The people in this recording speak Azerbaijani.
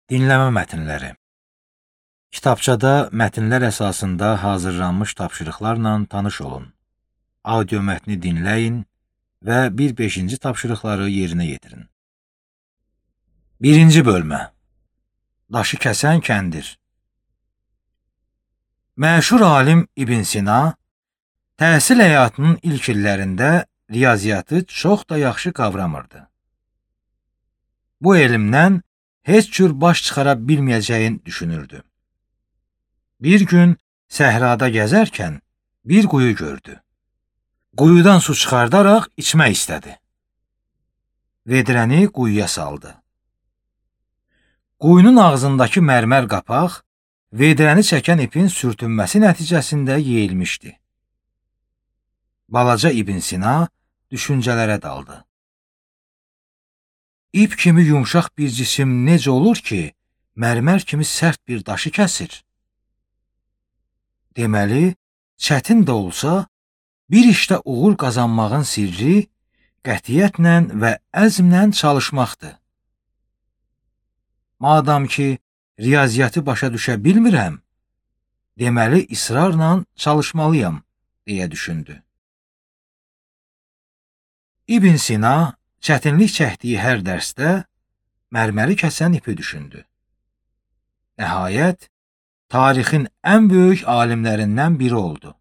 Dinləmə mətnləri. Kitabçada mətnlər əsasında hazırlanmış tapşırıqlarla tanış olun. Audio mətni dinləyin və 1-5-ci tapşırıqları yerinə yetirin. 1-ci bölmə. Daşı kəsən kəndir. Məşhur alim İbn Sina təhsil həyatının ilk illərində riyaziyyatı çox da yaxşı qavramırdı. Bu elmdən heç cür baş çıxara bilməyəcəyin düşünürdü. Bir gün səhrada gəzərkən bir quyu gördü. Quyudan su çıxardaraq içmək istədi. Vedrəni quyuya saldı. Quyunun ağzındakı mərmər qapaq vedrəni çəkən ipin sürtünməsi nəticəsində yeyilmişdi. Balaca İbn Sina düşüncələrə daldı. İp kimi yumşaq bir cisim necə olur ki, mərmər kimi sərt bir daşı kəsir? Deməli, çətin də olsa, bir işdə uğur qazanmağın sirri qətiyyətlə və əzmlə çalışmaqdır. Madam ki, riyaziyyatı başa düşə bilmirəm, deməli, israrla çalışmalıyam, deyə düşündü. İbn Sina çətinlik çəkdiyi hər dərsdə mərməri kəsən ipi düşündü. Nəhayət, tarixin ən böyük alimlərindən biri oldu.